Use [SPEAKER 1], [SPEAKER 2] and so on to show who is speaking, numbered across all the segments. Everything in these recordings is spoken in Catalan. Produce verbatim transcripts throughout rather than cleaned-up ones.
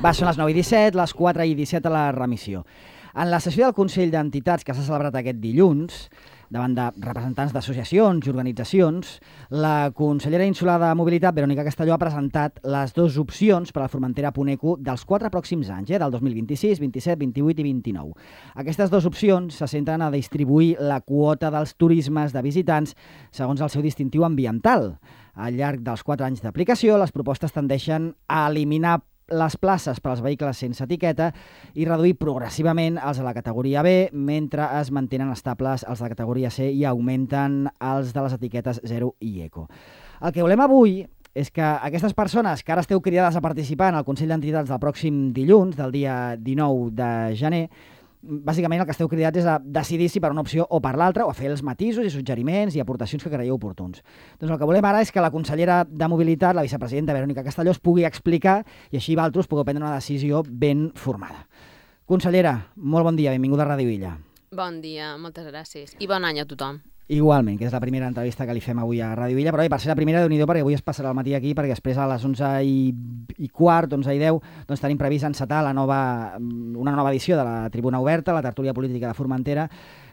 [SPEAKER 1] Va, són les nou i disset, les quatre i disset a la remissió. En la sessió del Consell d'Entitats que s'ha celebrat aquest dilluns, davant de representants d'associacions i organitzacions, la consellera insular de Mobilitat, Verònica Castelló, ha presentat les dues opcions per a la Formentera Puneco dels quatre pròxims anys, eh, del dos mil vint-i-sis, vint-i-set, vint-i-vuit i vint-i-nou. Aquestes dues opcions se centren a distribuir la quota dels turismes de visitants segons el seu distintiu ambiental. Al llarg dels quatre anys d'aplicació, les propostes tendeixen a eliminar les places per als vehicles sense etiqueta i reduir progressivament els de la categoria B, mentre es mantenen estables els de la categoria C i augmenten els de les etiquetes zero i eco. El que volem avui és que aquestes persones que ara esteu cridades a participar en el Consell d'Entitats del pròxim dilluns, del dia dinou de gener, bàsicament el que esteu cridats és a decidir si per una opció o per l'altra, o a fer els matisos i suggeriments i aportacions que creieu oportuns. Doncs el que volem ara és que la consellera de Mobilitat, la vicepresidenta Verònica Castelló, es pugui explicar i així vosaltres pugueu prendre una decisió ben formada. Consellera, molt bon dia, benvinguda a Ràdio Illa.
[SPEAKER 2] Bon dia, moltes gràcies. I bon any a tothom.
[SPEAKER 1] Igualment, que és la primera entrevista que li fem avui a Ràdio Illa, però bé, per ser la primera, Déu-n'hi-do, perquè avui es passarà el matí aquí, perquè després a les onze i quart, onze i deu, doncs tenim previst encetar la nova, una nova edició de la Tribuna Oberta, la tertúlia política de Formentera,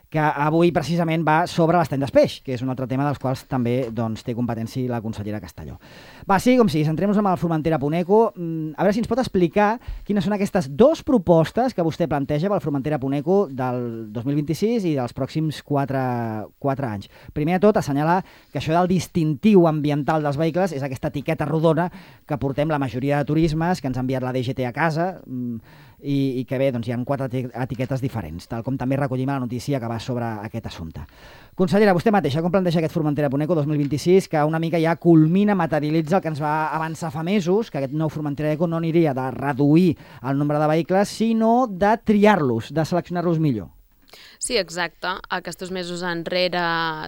[SPEAKER 1] que avui precisament va sobre l'estany d'Espeix, que és un altre tema dels quals també doncs, té competència la consellera Castelló. Va, sí, com sigui, centrem-nos en el Formentera Puneco. A veure si ens pot explicar quines són aquestes dues propostes que vostè planteja pel Formentera Puneco del dos mil vint-i-sis i dels pròxims quatre, quatre anys. Primer de tot, assenyalar que això del distintiu ambiental dels vehicles és aquesta etiqueta rodona que portem la majoria de turismes, que ens ha enviat la D G T a casa, i, i que bé, doncs hi ha quatre etiquetes diferents, tal com també recollim a la notícia que va sobre aquest assumpte. Consellera, vostè mateixa, com planteja aquest Formentera Puneco dos mil vint-i-sis, que una mica ja culmina, materialitza el que ens va avançar fa mesos, que aquest nou Formentera Eco no aniria de reduir el nombre de vehicles, sinó de triar-los, de seleccionar-los millor?
[SPEAKER 2] Sí, exacte. Aquests mesos enrere,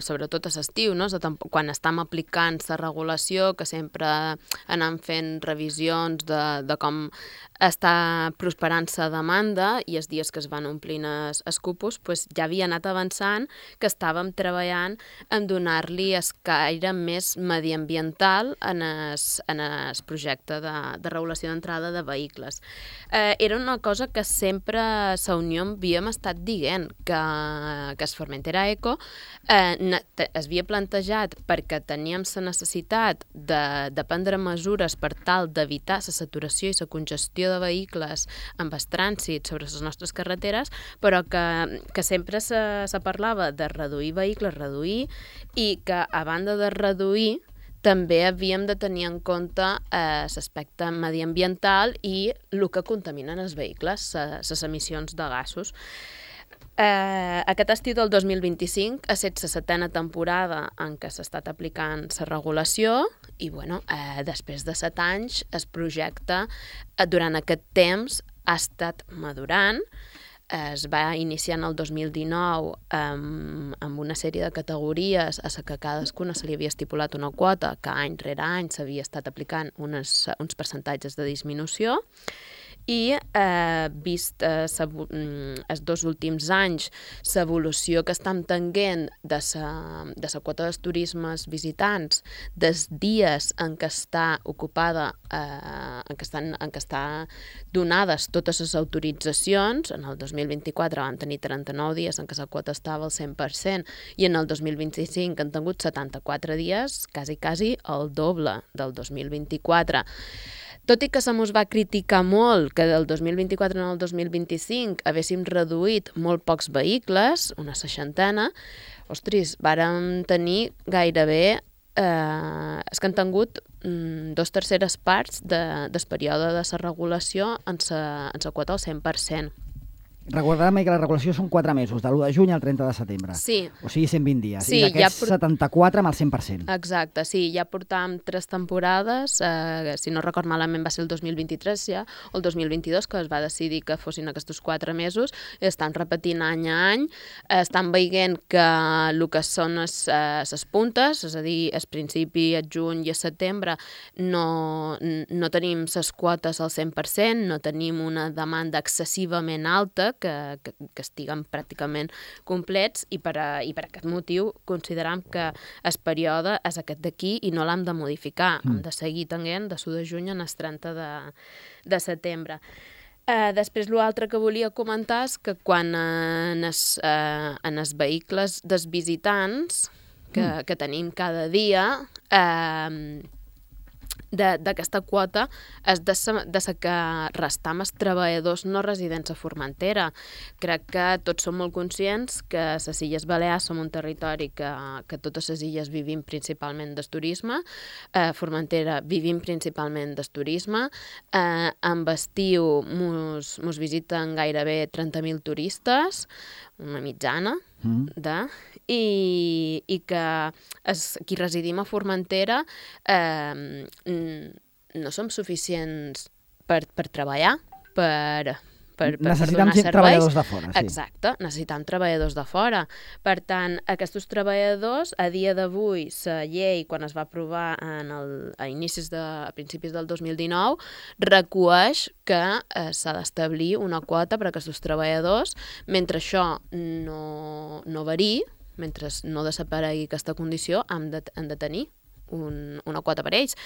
[SPEAKER 2] sobretot a l'estiu, no? Quan estem aplicant la regulació, que sempre anem fent revisions de, de com està prosperant la demanda i els dies que es van omplint els cupos, pues ja havia anat avançant que estàvem treballant en donar-li el caire més mediambiental en el, en el projecte de, de regulació d'entrada de vehicles. Eh, era una cosa que sempre a la Unió havíem estat dient, que que es Formentera Eco eh, es havia plantejat perquè teníem la necessitat de, de prendre mesures per tal d'evitar la saturació i la congestió de vehicles amb el trànsit sobre les nostres carreteres, però que, que sempre se, se parlava de reduir vehicles, reduir, i que a banda de reduir també havíem de tenir en compte eh, l'aspecte mediambiental i el que contaminen els vehicles, les emissions de gasos. Eh, aquest estiu del dos mil vint-i-cinc ha estat la setena temporada en què s'ha estat aplicant la regulació i bueno, eh, després de set anys el projecte eh, durant aquest temps ha estat madurant. Eh, es va iniciar en el dos mil dinou amb, amb una sèrie de categories a la que cadascuna se li havia estipulat una quota que any rere any s'havia estat aplicant unes, uns percentatges de disminució. I eh, vist eh, els dos últims anys l'evolució que estem tenint de la quota dels turismes visitants, dels dies en què està ocupada, eh, en què estan, en què està donades totes les autoritzacions, en el dos mil vint-i-quatre vam tenir trenta-nou dies en què la quota estava al cent per cent i en el dos mil vint-i-cinc han tingut setanta-quatre dies, quasi, quasi el doble del dos mil vint-i-quatre. Tot i que se mos va criticar molt que del dos mil vint-i-quatre al dos mil vint-i-cinc haguéssim reduït molt pocs vehicles, una seixantena, ostres, vàrem tenir gairebé, eh, és que han tingut mm, dos terceres parts de, del període de la regulació en la quota al cent per cent.
[SPEAKER 1] Recordem que la regulació són quatre mesos, de l'u de juny al trenta de setembre.
[SPEAKER 2] Sí.
[SPEAKER 1] O sigui, cent vint dies.
[SPEAKER 2] Sí,
[SPEAKER 1] I d'aquests
[SPEAKER 2] ja por...
[SPEAKER 1] setanta-quatre amb el cent per cent.
[SPEAKER 2] Exacte, sí. Ja portàvem tres temporades, eh, si no record malament va ser el dos mil vint-i-tres ja, o el dos mil vint-i-dos, que es va decidir que fossin aquests quatre mesos, i estan repetint any a any, estan veient que el que són les eh, puntes, és a dir, el principi, el juny i el setembre, no, no tenim les quotes al cent per cent, no tenim una demanda excessivament alta, dia que, que, que estiguen pràcticament complets i per, a, i per aquest motiu considerem que el període és aquest d'aquí i no l'hem de modificar, mm. hem de seguir tenint de l'u de juny en el trenta de, de setembre. Uh, després, l'altre que volia comentar és que quan uh, en, els, uh, en els vehicles dels visitants que, mm. que tenim cada dia, uh, d'aquesta quota és de sa, de sa que restar amb els treballadors no residents a Formentera. Crec que tots som molt conscients que a les Illes Balears som un territori que, que totes les illes vivim principalment del turisme, a Formentera vivim principalment del turisme, eh, amb estiu mos, mos visiten gairebé trenta mil turistes, una mitjana, mm. de, i, i que es, qui residim a Formentera eh, no som suficients per, per treballar, per, per, per, per donar serveis.
[SPEAKER 1] Treballadors de fora. Sí.
[SPEAKER 2] Exacte, necessitam treballadors de fora. Per tant, aquests treballadors, a dia d'avui, la llei, quan es va aprovar en el, a inicis de, a principis del dos mil dinou, recueix que eh, s'ha d'establir una quota per a aquests treballadors. Mentre això no, no variï, mentre no desaparegui aquesta condició, hem de, hem de tenir un, una quota per ells.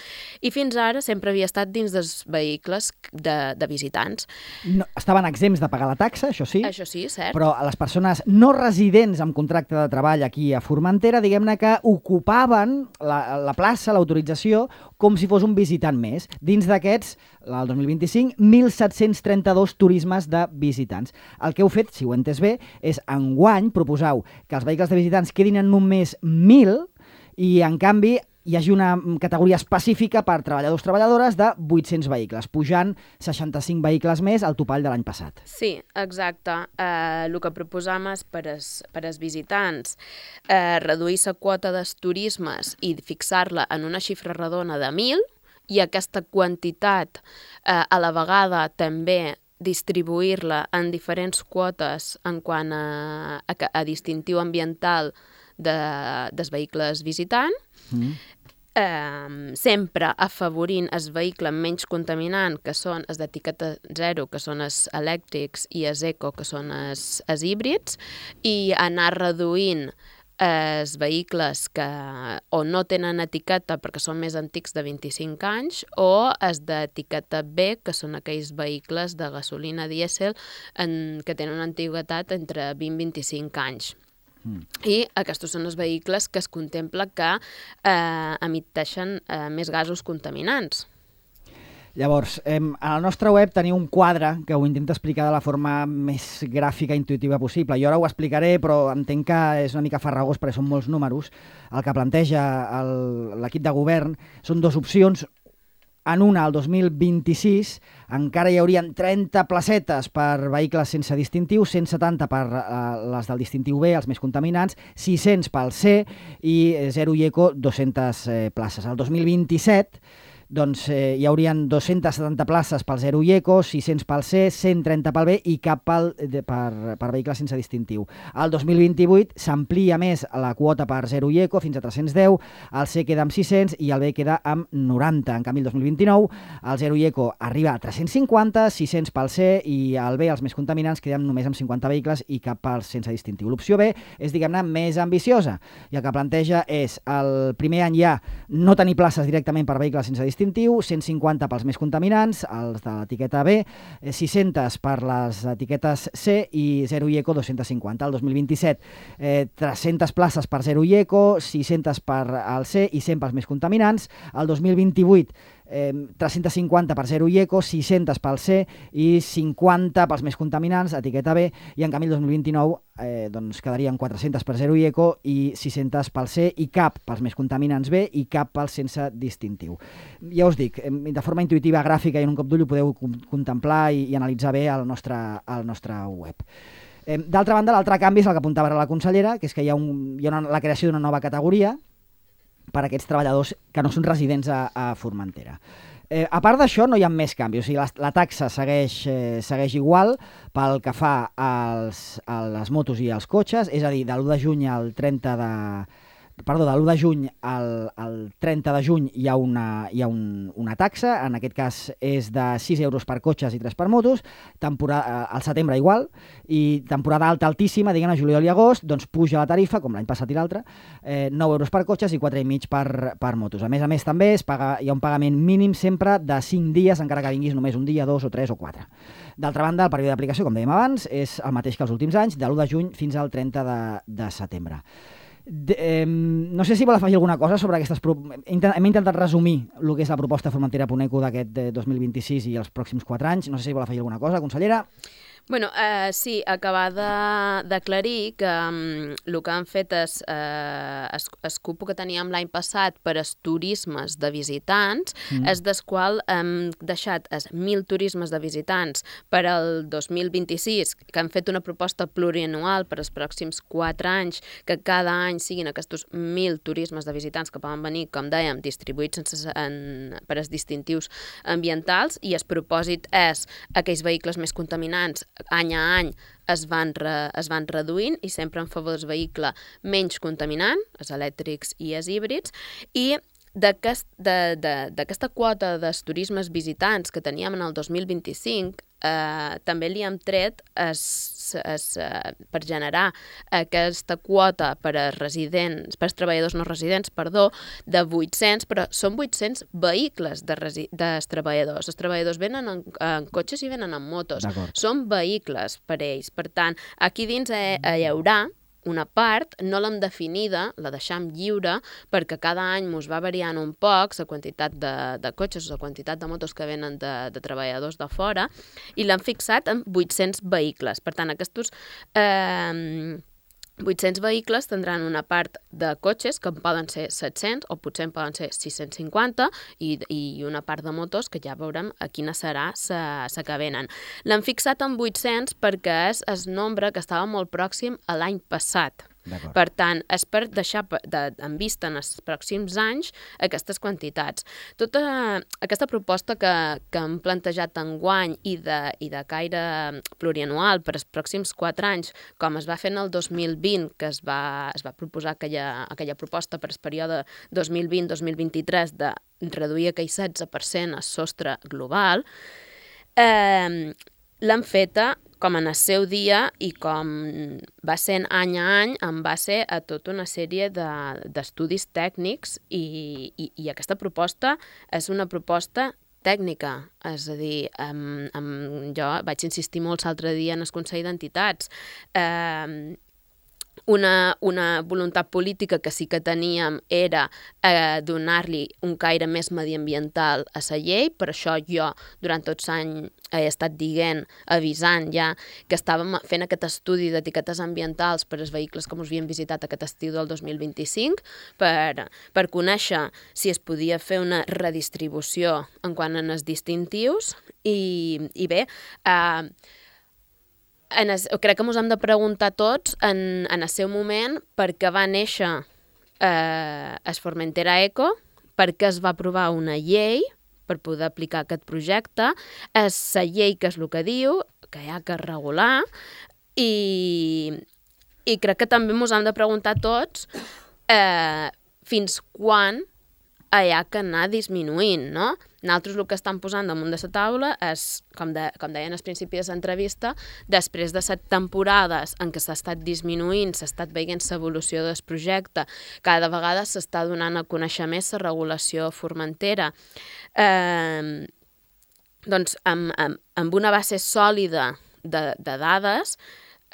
[SPEAKER 2] I fins ara sempre havia estat dins dels vehicles de, de visitants.
[SPEAKER 1] No, estaven exempts de pagar la taxa, això sí.
[SPEAKER 2] Això sí, cert.
[SPEAKER 1] Però a les persones no residents amb contracte de treball aquí a Formentera, diguem-ne que ocupaven la, la plaça, l'autorització, com si fos un visitant més. Dins d'aquests, el dos mil vint-i-cinc, mil set-cents trenta-dos turismes de visitants. El que heu fet, si ho he entès bé, és enguany proposau que els vehicles de visitants quedin en només mil i, en canvi, hi hagi una categoria específica per treballadors treballadores de vuit-cents vehicles, pujant seixanta-cinc vehicles més al topall de l'any passat.
[SPEAKER 2] Sí, exacte. Eh, el que proposam és per als per als visitants eh, reduir la quota dels turismes i fixar-la en una xifra redona de mil, i aquesta quantitat eh, a la vegada també distribuir-la en diferents quotes en quant a, a, a distintiu ambiental de, dels vehicles visitant, mm. eh, sempre afavorint el vehicle menys contaminant, que són els d'etiqueta zero, que són els elèctrics, i els eco, que són els, els híbrids, i anar reduint els vehicles que o no tenen etiqueta perquè són més antics de vint-i-cinc anys, o els d'etiqueta B, que són aquells vehicles de gasolina dièsel en, que tenen una antiguitat entre vint i vint-i-cinc anys. Mm. I aquests són els vehicles que es contempla que eh, emiteixen eh, més gasos contaminants.
[SPEAKER 1] Llavors, eh, a la nostra web teniu un quadre que ho intenta explicar de la forma més gràfica i intuïtiva possible. Jo ara ho explicaré, però entenc que és una mica farragós perquè són molts números. El que planteja l'equip de govern són dues opcions. En una, el dos mil vint-i-sis, encara hi haurien trenta placetes per vehicles sense distintiu, cent setanta per eh, les del distintiu B, els més contaminants, sis-cents pel C i zero i eco, dues-centes eh, places. El dos mil vint-i-set, doncs eh, hi haurien dues-centes setanta places pel zero i eco, sis-cents pel C, cent trenta pel B i cap pel, de, per, per vehicles sense distintiu. El dos mil vint-i-vuit s'amplia més la quota per zero i eco fins a tres-cents deu, el C queda amb sis-cents i el B queda amb noranta. En canvi, el dos mil vint-i-nou, el zero i eco arriba a tres-cents cinquanta, sis-cents pel C i el B, els més contaminants, queden només amb cinquanta vehicles i cap pel sense distintiu. L'opció B és, diguem-ne, més ambiciosa i el que planteja és el primer any ja no tenir places directament per vehicles sense distintiu, cent cinquanta pels més contaminants, els de l'etiqueta B, sis-cents per les etiquetes C i zero i eco dos-cents cinquanta. El dos mil vint-i-set, eh, tres-centes places per zero i eco, sis-centes per al C i cent pels més contaminants. El dos mil vint-i-vuit, eh, tres-cents cinquanta per zero i eco, sis-centes pel C i cinquanta pels més contaminants, etiqueta B, i en canvi el dos mil vint-i-nou eh, doncs quedarien quatre-centes per zero i eco i sis-centes pel C i cap pels més contaminants B i cap pels sense distintiu. Ja us dic, de forma intuïtiva, gràfica i en un cop d'ull ho podeu contemplar i, i analitzar bé al nostre, al nostre web. Eh, D'altra banda, l'altre canvi és el que apuntava ara la consellera, que és que hi ha, un, hi ha una, la creació d'una nova categoria per a aquests treballadors que no són residents a, a Formentera. Eh, a part d'això, no hi ha més canvis. O sigui, la, la taxa segueix, eh, segueix igual pel que fa als, a les motos i als cotxes, és a dir, de l'u de juny al trenta de, perdó, de l'u de juny al, al trenta de juny hi ha, una, hi ha un, una taxa, en aquest cas és de sis euros per cotxes i tres per motos, temporada, al setembre igual, i temporada alta altíssima, diguem-ne, juliol i agost, doncs puja la tarifa, com l'any passat i l'altre, eh, nou euros per cotxes i quatre i mig per, per motos. A més a més també es paga, hi ha un pagament mínim sempre de cinc dies, encara que vinguis només un dia, dos o tres o quatre. D'altra banda, el període d'aplicació, com dèiem abans, és el mateix que els últims anys, de l'u de juny fins al trenta de, de setembre. De, eh, no sé si vol afegir alguna cosa sobre aquestes... Pro... Hem intentat resumir el que és la proposta Formentera Puneco d'aquest dos mil vint-i-sis i els pròxims quatre anys. No sé si vol afegir alguna cosa, consellera.
[SPEAKER 2] Bueno, eh, sí, acabar d'aclarir que um, el que han fet és eh, es, es cupo que teníem l'any passat per als turismes de visitants, mm. és des qual hem deixat els mil turismes de visitants per al dos mil vint-i-sis, que han fet una proposta plurianual per als pròxims quatre anys, que cada any siguin aquests mil turismes de visitants que poden venir, com dèiem, distribuïts sense, en, per als distintius ambientals, i el propòsit és aquells vehicles més contaminants any a any es van, re, es van reduint i sempre en favor del vehicle menys contaminant, els elèctrics i els híbrids, i d'aquesta de, de, quota dels turismes visitants que teníem en el dos mil vint-i-cinc, eh, també li hem tret es, es, eh, per generar aquesta quota per a residents, per als treballadors no residents, perdó, de vuit-cents, però són vuit-cents vehicles de resi, dels treballadors. Els treballadors venen en, en cotxes i venen en motos. Són vehicles per ells. Per tant, aquí dins eh, hi haurà una part, no l'hem definida, la deixam lliure, perquè cada any mos va variant un poc la quantitat de, de cotxes o la quantitat de motos que venen de, de treballadors de fora, i l'hem fixat en vuit-cents vehicles. Per tant, aquests eh, vuit-cents vehicles tindran una part de cotxes, que poden ser set-cents o potser en poden ser sis-cents cinquanta, i, i una part de motos que ja veurem a quina serà la que venen. L'han fixat en vuit-cents perquè és el nombre que estava molt pròxim a l'any passat. Per tant, és per deixar de, en vista en els pròxims anys aquestes quantitats. Tota aquesta proposta que, que hem plantejat enguany i de, i de caire plurianual per als pròxims quatre anys, com es va fer en el dos mil vint, que es va, es va proposar aquella, aquella proposta per al període dos mil vint dos mil vint-i-tres de reduir aquell setze per cent el sostre global, eh, l'han feta com en el seu dia i com va sent any a any en base a tota una sèrie d'estudis de, tècnics i, i, i aquesta proposta és una proposta tècnica, és a dir, um, um, jo vaig insistir molt l'altre dia en el Consell d'Entitats, eh, Una, una voluntat política que sí que teníem era eh, donar-li un caire més mediambiental a la llei, per això jo durant tots anys he estat dient, avisant ja, que estàvem fent aquest estudi d'etiquetes ambientals per als vehicles que ens havien visitat aquest estiu del dos mil vint-i-cinc, per, per conèixer si es podia fer una redistribució en quant a els distintius, i, i bé, eh, En es, crec que ens hem de preguntar tots en, en el seu moment per què va néixer eh, es Formentera Eco, per què es va aprovar una llei per poder aplicar aquest projecte, és la llei que és el que diu, que hi ha que regular, i, i crec que també ens hem de preguntar tots eh, fins quan hi ha que anar disminuint, no? Nosaltres el que estan posant damunt de la taula és, com, de, com deien al principi de l'entrevista, després de set temporades en què s'ha estat disminuint, s'ha estat veient l'evolució del projecte, cada vegada s'està donant a conèixer més la regulació formentera. Eh, doncs amb, amb, amb una base sòlida de, de dades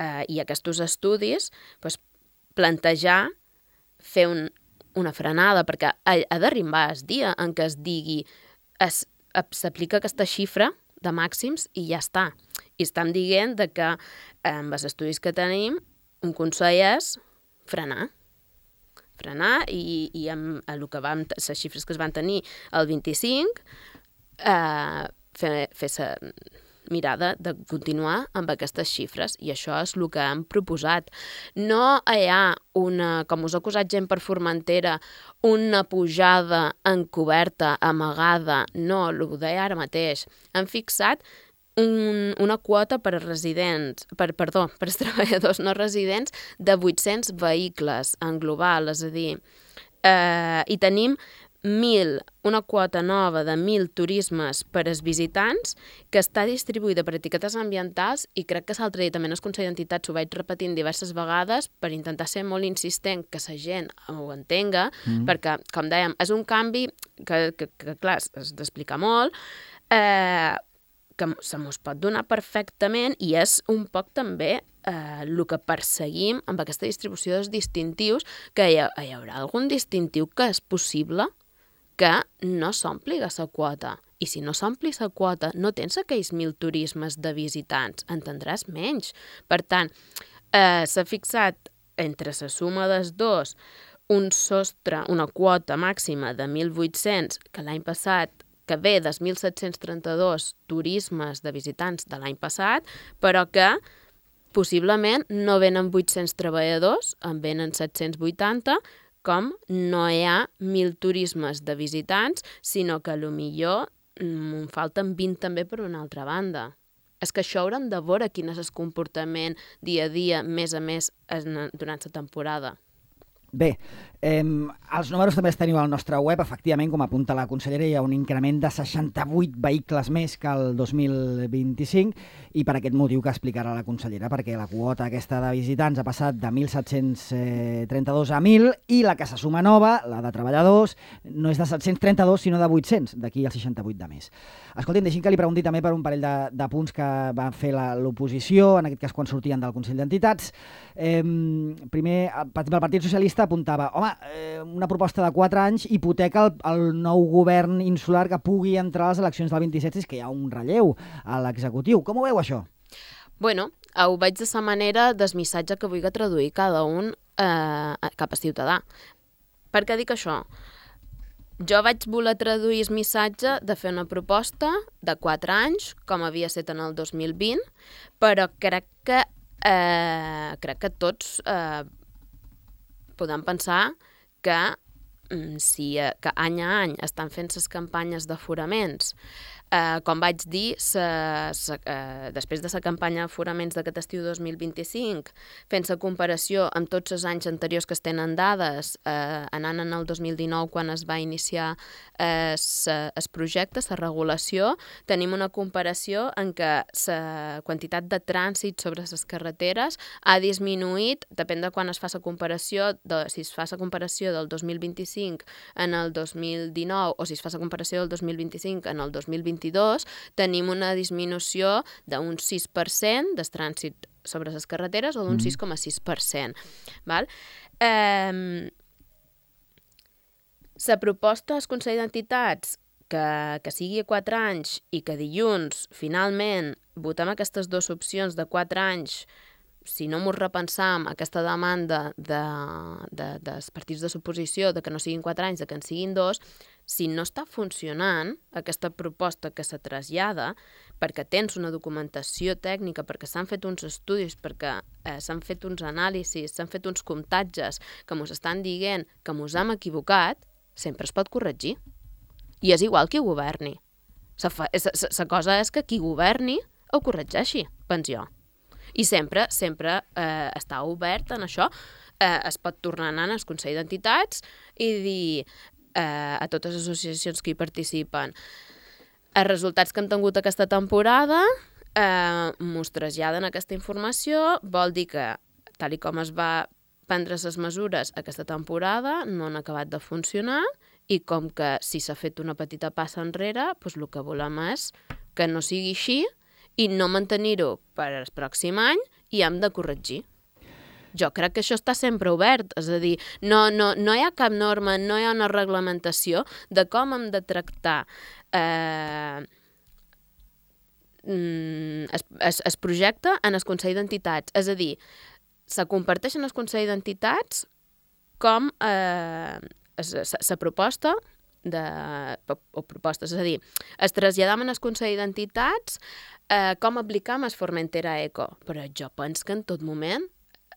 [SPEAKER 2] eh, i aquests estudis, doncs, plantejar fer un una frenada, perquè ha, ha d'arribar el dia en què es digui s'aplica aquesta xifra de màxims i ja està. I estem dient de que amb els estudis que tenim un consell és frenar. Frenar i, i amb el que vam, les xifres que es van tenir el vint-i-cinc eh, fer, fer sa mirada de continuar amb aquestes xifres, i això és el que hem proposat. No hi ha una, com us ha acusat gent per Formentera, una pujada encoberta, amagada, no, el que deia ara mateix. Hem fixat un, una quota per a residents, per, perdó, per als treballadors no residents de vuit-cents vehicles en global, és a dir, eh, i tenim mil, una quota nova de mil turismes per als visitants que està distribuïda per etiquetes ambientals i crec que l'altre dia també en el Consell d'Entitats ho vaig repetint diverses vegades per intentar ser molt insistent que la gent ho entenga, mm. perquè, com dèiem, és un canvi que, que, que clar, has d'explicar molt, eh, que se mos pot donar perfectament i és un poc també eh, el que perseguim amb aquesta distribució dels distintius, que hi, ha, hi haurà algun distintiu que és possible que no s'ompli la quota. I si no s'ompli la quota, no tens aquells mil turismes de visitants, en tindràs menys. Per tant, eh, s'ha fixat entre la suma dels dos un sostre, una quota màxima de mil vuit-cents, que l'any passat que ve dels mil set-cents trenta-dos turismes de visitants de l'any passat, però que possiblement no venen vuit-cents treballadors, en venen set-cents vuitanta, com no hi ha mil turismes de visitants, sinó que potser en falten vint també per una altra banda. És que això haurem de veure quin és el comportament dia a dia, més a més, durant la temporada.
[SPEAKER 1] Bé, eh, els números també els teniu al nostre web. Efectivament, com apunta la consellera, hi ha un increment de seixanta-vuit vehicles més que el dos mil vint-i-cinc i per aquest motiu que explicarà la consellera, perquè la quota aquesta de visitants ha passat de mil set-cents trenta-dos a mil i la que se suma nova, la de treballadors, no és de set-cents trenta-dos sinó de vuit-cents, d'aquí el seixanta-vuit de més. Escolti'm, deixi'm que li pregunti també per un parell de, de punts que va fer l'oposició, en aquest cas quan sortien del Consell d'Entitats. Eh, primer, per exemple, el Partit Socialista apuntava, home, eh, una proposta de quatre anys hipoteca el, el nou govern insular que pugui entrar a les eleccions del vint-i-set, és que hi ha un relleu a l'executiu. Com ho veu, això?
[SPEAKER 2] Bueno, ho veig de la manera del missatge que vulgui traduir cada un eh, cap a ciutadà. Per què dic això? Jo vaig voler traduir el missatge de fer una proposta de quatre anys, com havia estat en el dos mil vint, però crec que, eh, crec que tots eh, podem pensar que si que any a any estan fent les campanyes d'aforaments, eh, com vaig dir, sa, sa, eh, després de la campanya d'aforaments d'aquest estiu dos mil vint-i-cinc, fent la comparació amb tots els anys anteriors que es tenen dades, eh, anant en el dos mil dinou quan es va iniciar eh, el projecte, la regulació, tenim una comparació en què la quantitat de trànsit sobre les carreteres ha disminuït, depèn de quan es fa la comparació, de, si es fa la comparació del dos mil vint-i-cinc en el dos mil dinou o si es fa la comparació del dos mil vint-i-cinc en el dos mil vint-i-dos, tenim una disminució d'un sis per cent del trànsit sobre les carreteres o d'un sis coma sis per cent. Val? Eh, la proposta al Consell d'Entitats que, que sigui a quatre anys i que dilluns, finalment, votem aquestes dues opcions de quatre anys, si no m'ho repensam, aquesta demanda de, de, dels partits de l'oposició de que no siguin quatre anys, de que en siguin dos, si no està funcionant aquesta proposta que se trasllada, perquè tens una documentació tècnica, perquè s'han fet uns estudis, perquè eh, s'han fet uns anàlisis, s'han fet uns comptatges que mos estan dient que mos hem equivocat, sempre es pot corregir. I és igual qui governi. La cosa és que qui governi ho corregeixi, penso jo. I sempre, sempre eh, està obert en això. Eh, es pot tornar a anar al Consell d'Entitats i dir eh, a totes les associacions que hi participen els resultats que hem tingut aquesta temporada, eh, mos traslladen aquesta informació, vol dir que, tal i com es va prendre les mesures aquesta temporada, no han acabat de funcionar i com que si s'ha fet una petita passa enrere, doncs el que volem és que no sigui així i no mantenir-ho per al pròxim any i hem de corregir. Jo crec que això està sempre obert, és a dir, no, no, no hi ha cap norma, no hi ha una reglamentació de com hem de tractar eh, es, es, es projecte en el Consell d'Entitats. És a dir, se comparteix en el Consell d'Entitats com eh, la proposta de, o propostes, és a dir, es traslladam en el Consell d'Entitats eh, com aplicam el Formentera Eco, però jo penso que en tot moment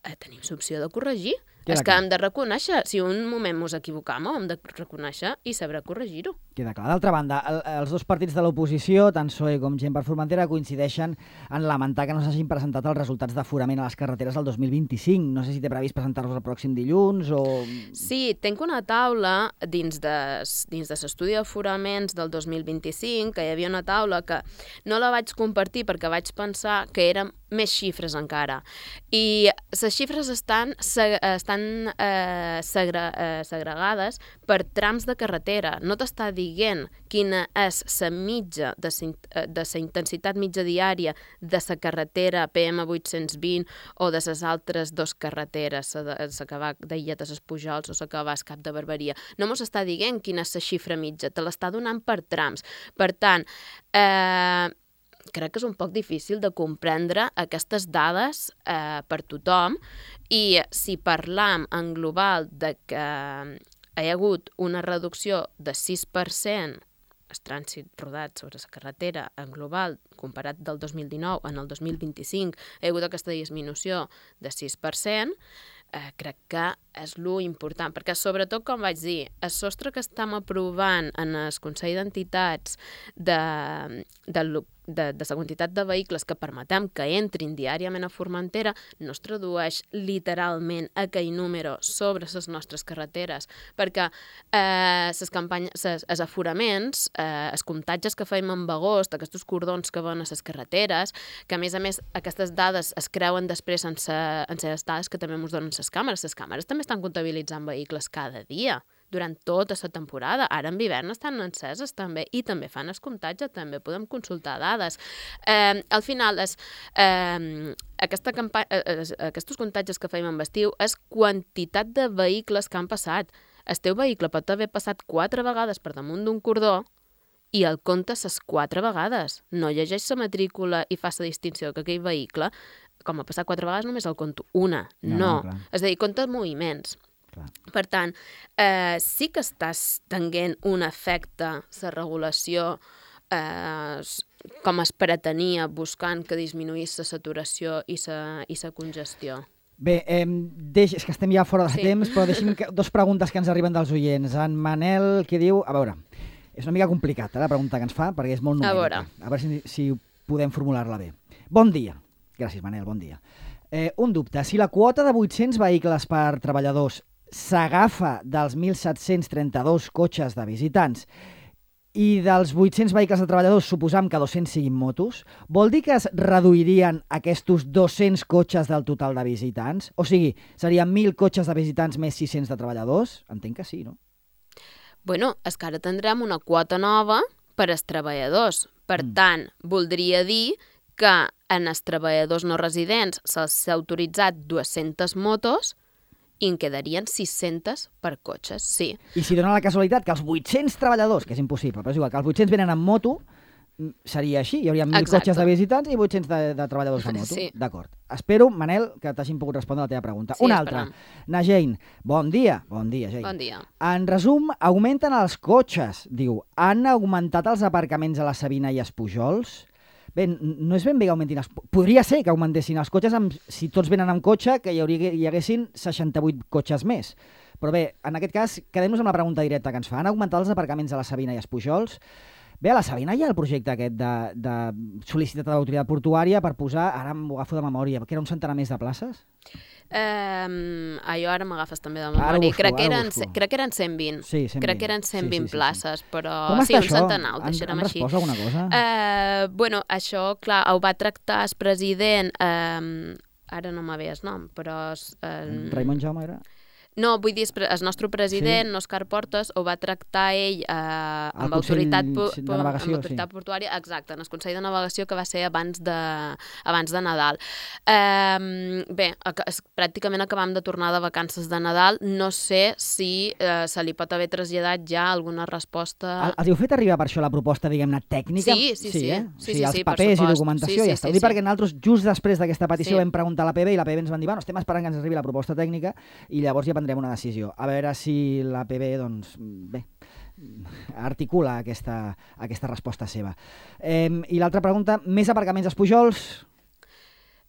[SPEAKER 2] eh, tenim l'opció de corregir. Ja és que hem de reconèixer, si un moment mos equivocam, hem de reconèixer i saber corregir-ho.
[SPEAKER 1] Queda clar. D'altra banda, el, els dos partits de l'oposició, tant P S O E com Gent per Formentera, coincideixen en lamentar que no s'hagin presentat els resultats d'aforament a les carreteres del dos mil vint-i-cinc. No sé si té previst presentar-los el pròxim dilluns o...
[SPEAKER 2] Sí, tinc una taula dins de, dins de l'estudi d'aforaments del dos mil vint-i-cinc, que hi havia una taula que no la vaig compartir perquè vaig pensar que eren més xifres encara. I les xifres estan, estan eh, segre, eh, segregades per trams de carretera. No t'està dient quina és la mitja de la intensitat mitja diària de la carretera P M vuit-cents vint o de les altres dos carreteres, la que va d'Illet a les Pujols o la que va al Cap de Barberia. No mos està dient quina és la xifra mitja, te l'està donant per trams. Per tant, eh, crec que és un poc difícil de comprendre aquestes dades eh, per tothom, i si parlam en global de que hi ha hagut una reducció de sis per cent el trànsit rodat sobre la carretera en global comparat del dos mil dinou en el dos mil vint-i-cinc, hi ha hagut aquesta disminució de sis per cent, eh, crec que és lo important, perquè sobretot, com vaig dir, el sostre que estem aprovant en el Consell d'Entitats de, de, de, de la quantitat de vehicles que permetem que entrin diàriament a Formentera no es tradueix literalment a aquell número sobre les nostres carreteres, perquè eh, les campanyes, ses, els aforaments, eh, els comptatges que fèiem en agost, aquests cordons que van a les carreteres, que a més a més aquestes dades es creuen després en les dades que també ens donen les càmeres. Les càmeres també estan comptabilitzant vehicles cada dia, durant tota la temporada. Ara en hivern estan enceses també, i també fan el comptatge, també podem consultar dades. Eh, al final, és, eh, aquesta eh, aquests comptatges que fèiem en estiu és quantitat de vehicles que han passat. El teu vehicle pot haver passat quatre vegades per damunt d'un cordó i el comptes les quatre vegades. No llegeix la matrícula i fa la distinció que aquell vehicle, com ha passat quatre vegades, només el conto una. No. no. no és a dir, compta moviments. Clar. Per tant, eh, sí que estàs tenint un efecte, la regulació, eh, com es pretenia, buscant que disminuís la saturació i la i la congestió.
[SPEAKER 1] Bé, eh, deix, és que estem ja fora de sí. temps, però deixem que, dos preguntes que ens arriben dels oients. En Manel, que diu... A veure, és una mica complicat, eh, la pregunta que ens fa, perquè és molt numèrica. A veure, a veure si, si podem formular-la bé. Bon dia. Gràcies, Manel, bon dia. Eh, un dubte. Si la quota de vuit-cents vehicles per treballadors s'agafa dels mil set-cents trenta-dos cotxes de visitants i dels vuit-cents vehicles de treballadors suposam que dos-cents siguin motos, vol dir que es reduirien aquests dos-cents cotxes del total de visitants? O sigui, serien mil cotxes de visitants més sis-cents de treballadors? Entenc que sí, no?
[SPEAKER 2] Bueno, és que ara tindrem una quota nova per als treballadors. Per mm. tant, voldria dir que en els treballadors no residents se'ls ha autoritzat dues-centes motos i en quedarien sis-centes per cotxes, sí.
[SPEAKER 1] I si dona la casualitat que els vuit-cents treballadors, que és impossible, però és igual, que els vuit-cents venen en moto, seria així, hi hauria mil Exacte. Cotxes de visitants i vuit-cents de, de treballadors de moto. Sí. D'acord. Espero, Manel, que t'hagin pogut respondre a la teva pregunta. Sí, Una altra. Na Jane, bon dia. Bon dia, Jane.
[SPEAKER 2] Bon dia.
[SPEAKER 1] En resum, augmenten els cotxes, diu. Han augmentat els aparcaments a la Sabina i els Pujols? Bé, no és ben bé que augmentin els... Podria ser que augmentessin els cotxes, amb, si tots venen amb cotxe, que hi, hauria, hi haguessin seixanta-vuit cotxes més. Però bé, en aquest cas, quedem-nos amb la pregunta directa que ens fa. Han augmentat els aparcaments a la Sabina i els Pujols? Bé, a la Sabina hi ha el projecte aquest de, de sol·licitat de l'autoritat portuària per posar, ara m'ho agafo de memòria, que era un centenar més de places?
[SPEAKER 2] Um, allò ara m'agafes també de memòria. Busco, crec, que eren, crec que eren cent vint.
[SPEAKER 1] Sí, cent vint.
[SPEAKER 2] Crec que eren cent vint sí, sí, sí, places,
[SPEAKER 1] sí.
[SPEAKER 2] però
[SPEAKER 1] Com
[SPEAKER 2] sí, un
[SPEAKER 1] això?
[SPEAKER 2] centenar, ho deixarem
[SPEAKER 1] han, han
[SPEAKER 2] així.
[SPEAKER 1] Han respost alguna cosa?
[SPEAKER 2] Uh, bueno, això, clar, ho va tractar el president, um, ara no m'ha ve el nom, però... Um,
[SPEAKER 1] Raimon Jaume era?
[SPEAKER 2] No, vull dir, el nostre president, sí. Òscar Portes, ho va tractar ell eh, amb autoritat,
[SPEAKER 1] de navegació,
[SPEAKER 2] amb autoritat
[SPEAKER 1] sí.
[SPEAKER 2] portuària, exacte, en el Consell de Navegació, que va ser abans de, abans de Nadal. Eh, bé, és, pràcticament acabam de tornar de vacances de Nadal, no sé si eh, se li pot haver traslladat ja alguna resposta...
[SPEAKER 1] Els heu fet arribar per això la proposta, diguem-ne, tècnica?
[SPEAKER 2] Sí, sí, sí. sí, eh? sí, sí,
[SPEAKER 1] sí els
[SPEAKER 2] sí,
[SPEAKER 1] papers i documentació,
[SPEAKER 2] sí, sí,
[SPEAKER 1] ja està.
[SPEAKER 2] Sí,
[SPEAKER 1] Ho dic
[SPEAKER 2] sí.
[SPEAKER 1] perquè nosaltres, just després d'aquesta petició,
[SPEAKER 2] sí.
[SPEAKER 1] vam preguntar a la P B i la P B ens van dir, bueno, estem esperant que ens arribi la proposta tècnica i llavors ja prendrem una decisió. A veure si la P B, doncs, bé, articula aquesta, aquesta resposta seva. Eh, I l'altra pregunta, més aparcaments als Pujols?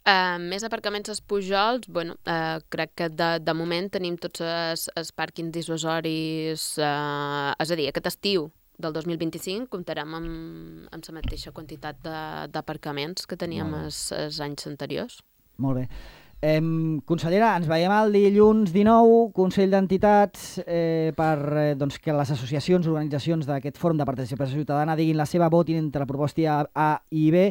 [SPEAKER 2] Uh, més aparcaments als Pujols, bueno, uh, crec que de, de moment tenim tots els, els pàrquings dissuasoris, uh, és a dir, aquest estiu del dos mil vint-i-cinc comptarem amb, amb la mateixa quantitat d'aparcaments que teníem els, els anys anteriors.
[SPEAKER 1] Molt bé. Eh, consellera, ens veiem el dilluns dinou, Consell d'Entitats, eh, per eh, doncs, que les associacions, organitzacions d'aquest Fòrum de Participació Ciutadana diguin la seva, votin entre la proposta A i B,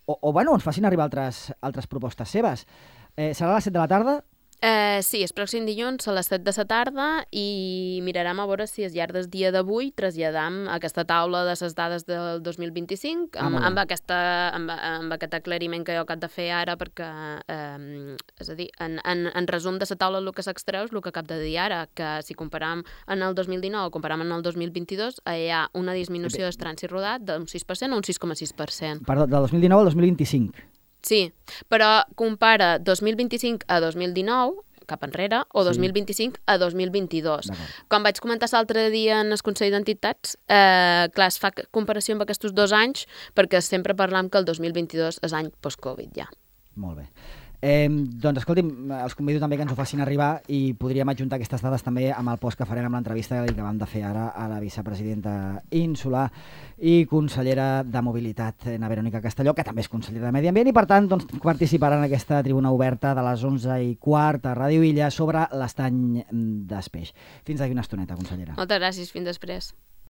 [SPEAKER 1] o, o bueno, ens facin arribar altres, altres propostes seves. Eh, serà a les set de la tarda?
[SPEAKER 2] Eh, sí, el pròxim dilluns a les set de la tarda i mirarem a veure si al llarg del dia d'avui traslladam aquesta taula de les dades del dos mil vint-i-cinc amb,
[SPEAKER 1] ah,
[SPEAKER 2] amb, aquesta, amb, amb aquest aclariment que jo acabo de fer ara perquè, eh, és a dir, en, en, en resum de la taula el que s'extreu és el que acabo de dir ara, que si comparam en el dos mil dinou o comparam en el dos mil vint-i-dos hi ha una disminució del trànsit rodat d'un sis per cent a un sis coma sis per cent.
[SPEAKER 1] Perdó, del dos mil dinou al dos mil vint-i-cinc.
[SPEAKER 2] Sí, però compara dos mil vint-i-cinc a dos mil dinou, cap enrere, o dos mil vint-i-cinc a dos mil vint-i-dos. Com vaig comentar l'altre dia en el Consell d'Entitats, eh, clar, es fa comparació amb aquests dos anys perquè sempre parlam que el dos mil vint-i-dos és any post-Covid ja.
[SPEAKER 1] Molt bé. Eh, doncs, escolti'm, els convido també que ens ho facin arribar i podríem adjuntar aquestes dades també amb el post que farem amb l'entrevista que vam de fer ara a la vicepresidenta insular i consellera de Mobilitat, na Verònica Castelló, que també és consellera de Medi Ambient i, per tant, doncs, participarà en aquesta tribuna oberta de les onze i quart a Ràdio Illa sobre l'estany d'Espeix. Fins d'aquí una estoneta, consellera.
[SPEAKER 2] Moltes gràcies, fins després.